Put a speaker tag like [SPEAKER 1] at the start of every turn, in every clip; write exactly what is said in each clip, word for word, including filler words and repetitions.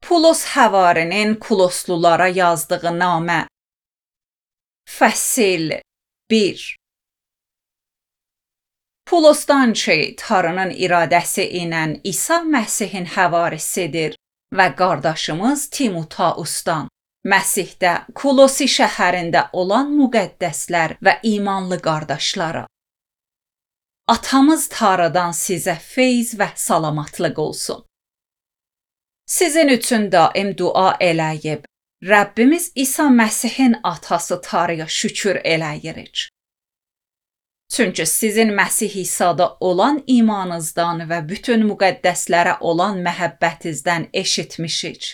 [SPEAKER 1] Pulos Həvarinin Kuloslulara yazdığı namə. Fəsil bir. Pulosdan ki, Tanrının iradəsi ilə İsa Məsihin həvarisidir və qardaşımız Timoteusdan, Məsihdə Kulosi şəhərində olan müqəddəslər və imanlı qardaşlara. Atamız Tanrıdan sizə feyz və salamatlıq olsun. Sizin üçün daim dua eləyib, Rəbbimiz İsa Məsihin atası Tanrıya şükür eləyirik. Çünki sizin Məsih İsa'da olan imanınızdan və bütün müqəddəslərə olan məhəbbətinizdən eşitmişik.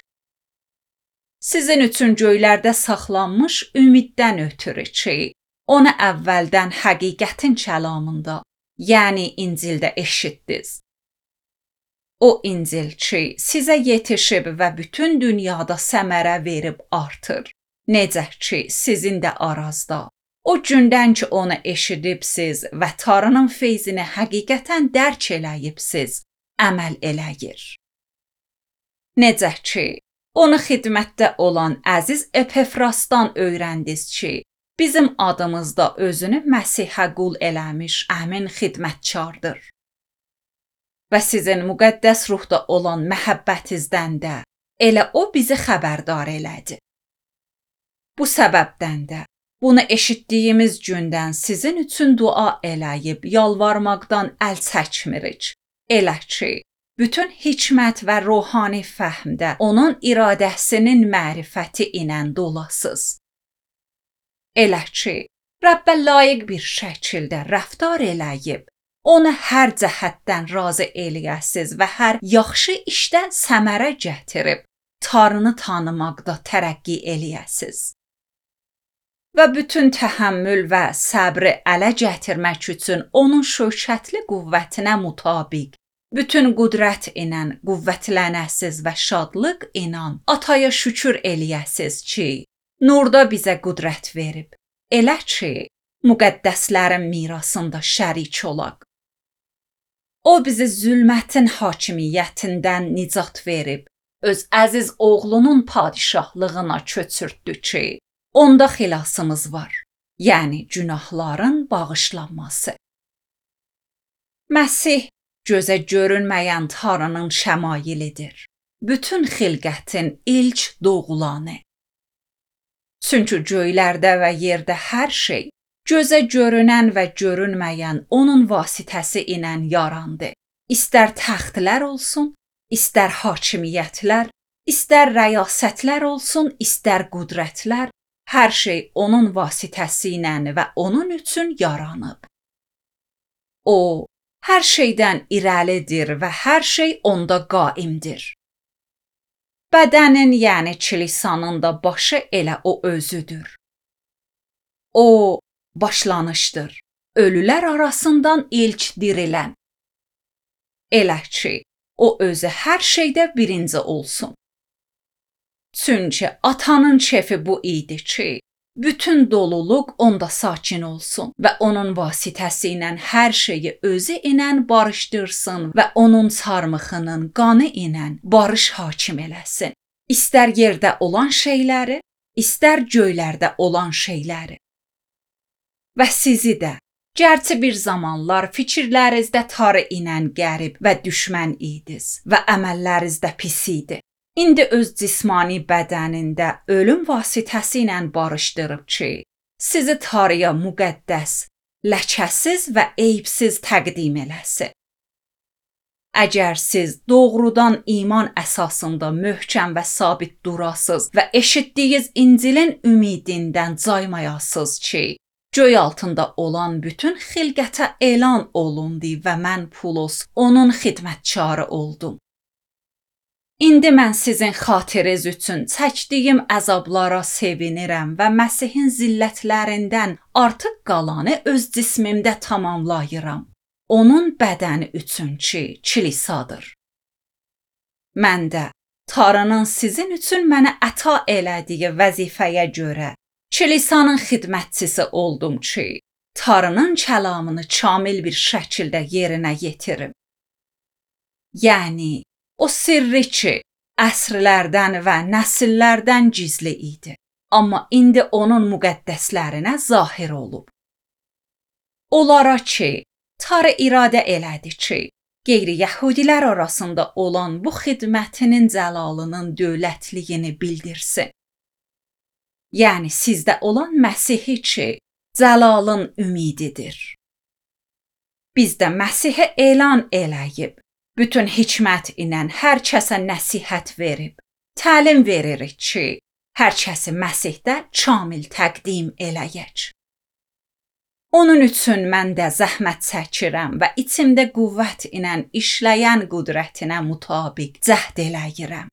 [SPEAKER 1] Sizin üçün göylərdə saxlanmış ümiddən ötürü ki, onu əvvəldən həqiqətin kəlamında, yəni İncildə eşitdiniz. O İncil ki, sizə yetişib və bütün dünyada səmərə verib artır. Necə ki, sizin də arazda. O gündən ki, onu eşidibsiz və Tanrının feyzini həqiqətən dərk eləyibsiz, əməl eləyir. Necə ki, onu xidmətdə olan əziz Epafrasdan öyrəndiniz ki, bizim adımızda özünü Məsihə qul eləmiş əmin xidmətkardır. Və sizin müqəddəs ruhda olan məhəbbətinizdən də elə o bizi xəbərdar elədi. Bu səbəbdən də bunu eşitdiyimiz gündən sizin üçün dua eləyib yalvarmaqdan əl çəkmirik. Elə ki, bütün hikmət və ruhani fəhmdə onun iradəsinin mərifəti ilə dolasız. Elə ki, Rəbbə layiq bir şəkildə rəftar eləyib, onu hər cəhətdən razı eləyəsiz və hər yaxşı işdə səmərə gətirib, Tanrını tanımaqda tərəqqi eləyəsiz. Və bütün təhəmmül və səbri ələ gətirmək üçün onun şövkətli qüvvətinə mutabiq, bütün qüdrət ilə qüvvətlənəsiz və şadlıq ilə Ataya şükür eləyəsiz ki, nurda bizə qüdrət verib, elə ki, müqəddəslərin mirasında şərik olaq. O bizi zülmətin hakimiyyətindən nicat verib, öz əziz oğlunun padişahlığına köçürtdü ki, onda xilasımız var, yəni günahların bağışlanması. Məsih gözə görünməyən Tanrının şəmailidir, bütün xilqətin ilk doğulanı. Çünki göylərdə və yerdə hər şey, gözə görünən və görünməyən onun vasitəsi ilə yarandı. İstər təxtlər olsun, istər hakimiyyətlər, istər rəyasətlər olsun, istər qüdrətlər, hər şey onun vasitəsi ilə və onun üçün yaranıb. O, hər şeydən irəlidir və hər şey onda qaimdir. Bədənin, yəni kilisanın da başı elə o özüdür. O, başlanışdır, ölülər arasından ilk dirilən. Elə ki, o özü hər şeydə birinci olsun. Çünki atanın kefi bu idi ki, bütün doluluq onda sakin olsun və onun vasitəsi ilə hər şeyi özü ilə barışdırsın və onun çarmıxının qanı ilə barış hakim eləsin. İstər yerdə olan şeyləri, istər göylərdə olan şeyləri. Və sizi də, gərçi bir zamanlar fikirlərinizdə Tanrı ilə qərib və düşmən idiniz və əməllərinizdə pis idi. İndi öz cismani bədənində ölüm vasitəsi ilə barışdırıb ki, sizi Tanrıya müqəddəs, ləkəsiz və eyibsiz təqdim eləsin. Əgər siz doğrudan iman əsasında möhkəm və sabit durasız və eşitdiyiniz İncilin ümidindən caymayasız ki, göy altında olan bütün xilqətə elan olundu və mən Pulos onun xidmətkarı oldum. İndi mən sizin xatiriniz üçün çəkdiyim əzablara sevinirəm və Məsihin zillətlərindən artıq qalanı öz cismimdə tamamlayıram. Onun bədəni üçün ki, kilisadır. Mən də Tanrının sizin üçün mənə əta elədiyi vəzifəyə görə kilisanın xidmətçisi oldum ki, Tanrının kəlamını kamil bir şəkildə yerinə yetirim. Yəni, o sirri ki, əsrlərdən və nəsillərdən gizli idi. Amma indi onun müqəddəslərinə zahir olub. Onlara ki, Tanrı iradə elədi ki, qeyri-yəhudilər arasında olan bu xidmətinin cəlalının dövlətliyini bildirsin. Yəni sizdə olan Məsihi ki, cəlalın ümididir. Biz də Məsihi elan eləyib, bütün hikmət ilə hər kəsə nəsihət verib, təlim veririk ki, hər kəsi Məsihdə kamil təqdim eləyək. Onun üçün mən də zəhmət çəkirəm və içimdə qüvvət ilə işləyən qüdrətinə mütabiq cəhd eləyirəm.